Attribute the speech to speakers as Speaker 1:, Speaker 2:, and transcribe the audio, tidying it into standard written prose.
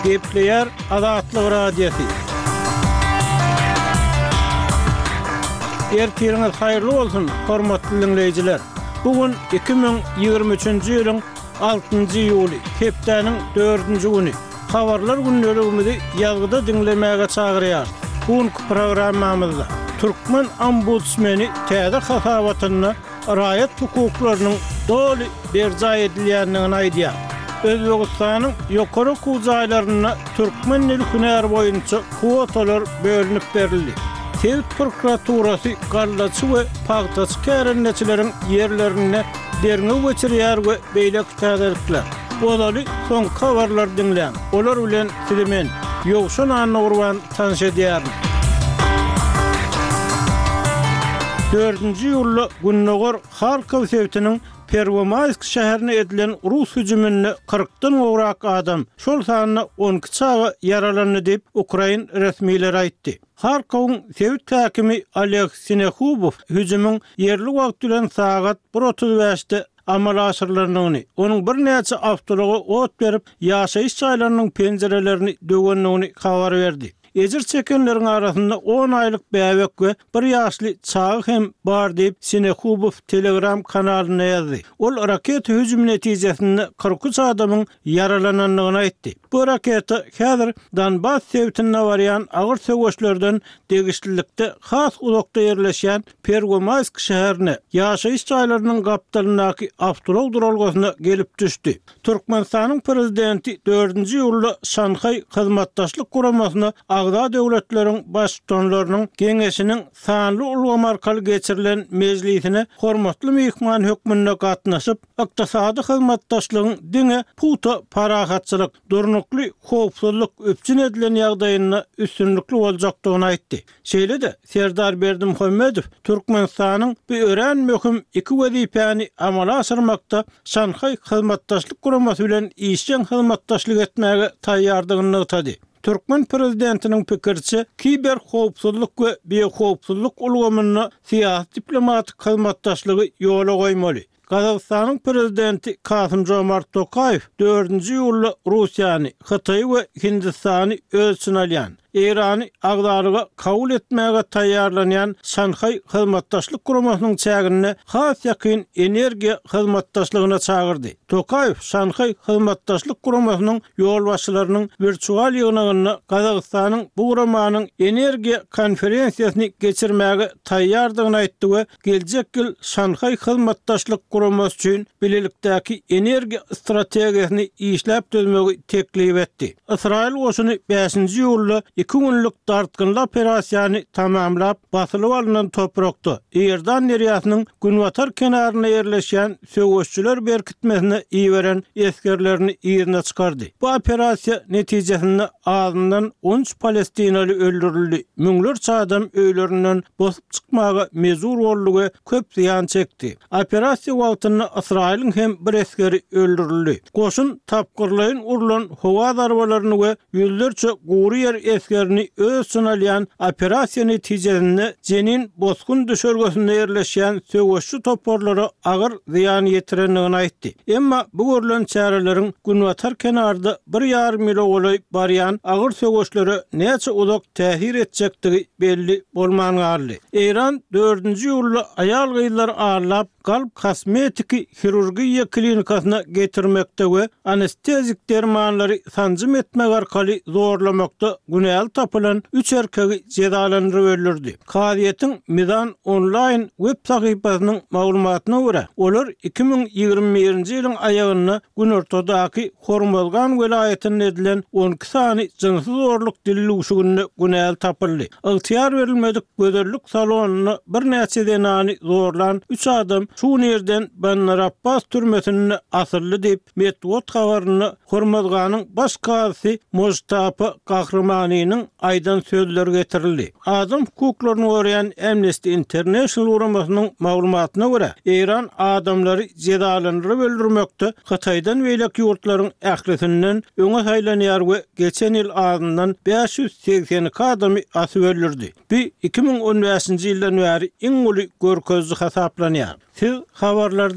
Speaker 1: Gepleýär Azatlyk Radiosy. Ertiriňiz haýyrly bolsun, hormatly diňleýjiler! Bu gün 2023-nji ýylyň altynjy iýuly, hepdäniň dördünji güni. Habarlar gündeligimizi ýazgyda diňlemäge çagyrýarys. Bu günki programmamyzda türkmen ombudsmeni täze hasabatynda raýat hukuklarynyň doly berjaý edilýändigini aýdýar. Özbegistanyň ýokary okuw jaýlarynda türkmen dili hünäri boýunça kwotalar bölünip berildi. Sebit prokuraturasy gallaçy we pagtaçy kärendeçileriň ýerlerinde derňew geçirýär we beýleki täzelikler. Ozaly soňky habarlary diňläň. Olar bilen sizi men, Ýowşan Annagurban tanyş edýärin. Dördünji iýulda gündogar Harkow sebitiniň Perwomaýsk şäherine edilen rus hüjüminde kyrkdan gowrak adam, şol sanda 12 çaga ýaralandy diýip, ukrain resmileri aýtdy. Harkowyň sebit häkimi Oleg Sinehubow hüjümiň ýerli wagt bilen sagat bir 35-de amala aşyrylandygyny, onuň birnäçe awtoulaga ot berip, ýaşaýyş jaýlarynyň penjirelerini döwendigini habar berdi. Ejir çekenleriň arasynda on aýlyk bäbek we bir ýaşly çaga hem bar diýip, Sinehubow Telegram kanalynda ýazdy. Ol raketa hüjümi netijesinde 43 adamyň ýaralanandygyny aýtdy. Bu raketa häzir Donbas sebitinde barýan agyr söweşlerden degişlilikde has uzakda ýerleşýän Perwomaýsk şäherine, ýaşaýyş jaýlarynyň gapdalyndaky awtoulag duralgasyna gelip düşdi. Türkmenistanyň Prezidenti dördünji iýulda Şanhaý Hyzmatdaşlyk Guramasyna agza döwletleriň Baştutanlarynyň Geňeşiniň sanly ulgam arkaly geçirilen mejlisine hormatly myhman hökmünde gatnaşyp, ykdysady hyzmatdaşlygyň diňe pugta parahatçylyk, durnukly howpsuzlyk üpjün edilen ýagdaýynda üstünlikli boljakdygyny aýtdy. Şeýle-de, Serdar Berdimuhamedow Türkmenistanyň bu örän möhüm iki wezipäni amala aşyrmakda Şanhaý Hyzmatdaşlyk Guramasy bilen işjeň hyzmatdaşlyk etmäge taýýardygyny nygtady. Türkmen prezidentiniň pikiriçe, kiberhowpsuzlyk we biohowpsuzlyk ulgamynda syýasy-diplomatik hyzmatdaşlygy ýola goýmaly. Gazagystanyň prezidenti Kasym-Žomart Tokaýew dördünji iýulda Russiýany, Hytaýy we Hindistany öz içine alýan, Eýrany agzalyga kabul etmäge taýýarlanýan Şanhaý Hyzmatdaşlyk Guramasynyň çäginde has ýakyn energiýa hyzmatdaşlygyna çagyrdy. Tokaýew Şanhaý Hyzmatdaşlyk Guramasynyň ýolbaşçylarynyň wirtual ýygnagynda Gazagystanyň bu guramanyň energiýa konferensiýasyny geçirmäge taýýardygyny aýtdy we geljek ýyl Şanhaý Hyzmatdaşlyk Guramasy üçin bilelikdäki energiýa strategiýasyny işläp düzmegi teklip etdi. Ysraýyl goşuny bäşinji iýulda iki günlük dartgynly operasiýany tamamlap, basylyp alnan toprakda, Iordan derýasynyň günbatar kenarynda ýerleşýän söweşçiler berkitmesine iberen esgerlerini yzyna çykardy. Bu operasiýa netijesinde azyndan 13 palestinaly öldürildi, müňlerçe adam öýlerinden bosup çykmaga mejbur boldy we köp zyýan çekdi. Operasiýa wagtynda Ysraýylyň hem bir esgeri öldürildi. Goşun tapgyrlaýyn urlan howa zarbalaryny we ýüzlerçe gury ýer esgerini öz içine alýan operasiýa netijesinde Jenin bosgun düşelgesinde ýerleşýän söweşçi toparlara agyr zyýan ýetirendigini aýtdy. Emma bu görlen çäreleriň günbatar kenarda bir ýarym ýyla golaý barýan agyr söweşlere näçe uzak täsir etjekdigi belli bolman galdy. Eýran dördünji iýulda aýal-gyzlary aldap, galp kosmetiki hirurgiýa klinikasyna getirmekde we anestezik dermanlary sanjym etmek arkaly zorlamakda günäli tapylan üç erkegi jezalandyryp öldürdi. Kazyýetiň Mizan onlaýn web sahypasynyň maglumatyna görä, olar 2021-nji ýylyň aýagynda günortadaky Hormozgan welaýatynda edilen 12 sany jynsy zorluk dildüwşüginde günäli tapyldy. Ygtyýar berilmedik gözellik salonynda birnäçe zenany zorlan üç adam şu gün irden Bandar-Abbas türmesinde asyldy diýip, metbugat habarynda Hormozganyň baş kazysy Mojtapa Gahrymanynyň aýdan sözleri getirildi. Adam hukuklaryny goraýan Amnesty International guramasynyň maglumatyna görä, Eýran adamlary jezalandyryp öldürmekde Hytaýdan beýleki ýurtlaryň ählisinden öňe saýlanýar we geçen ýyl azyndan 582 adamy asyp öldürdi. Bu 2015-nji ýyldan bäri iň uly görkeziji hasaplanýar. Siz habarlary.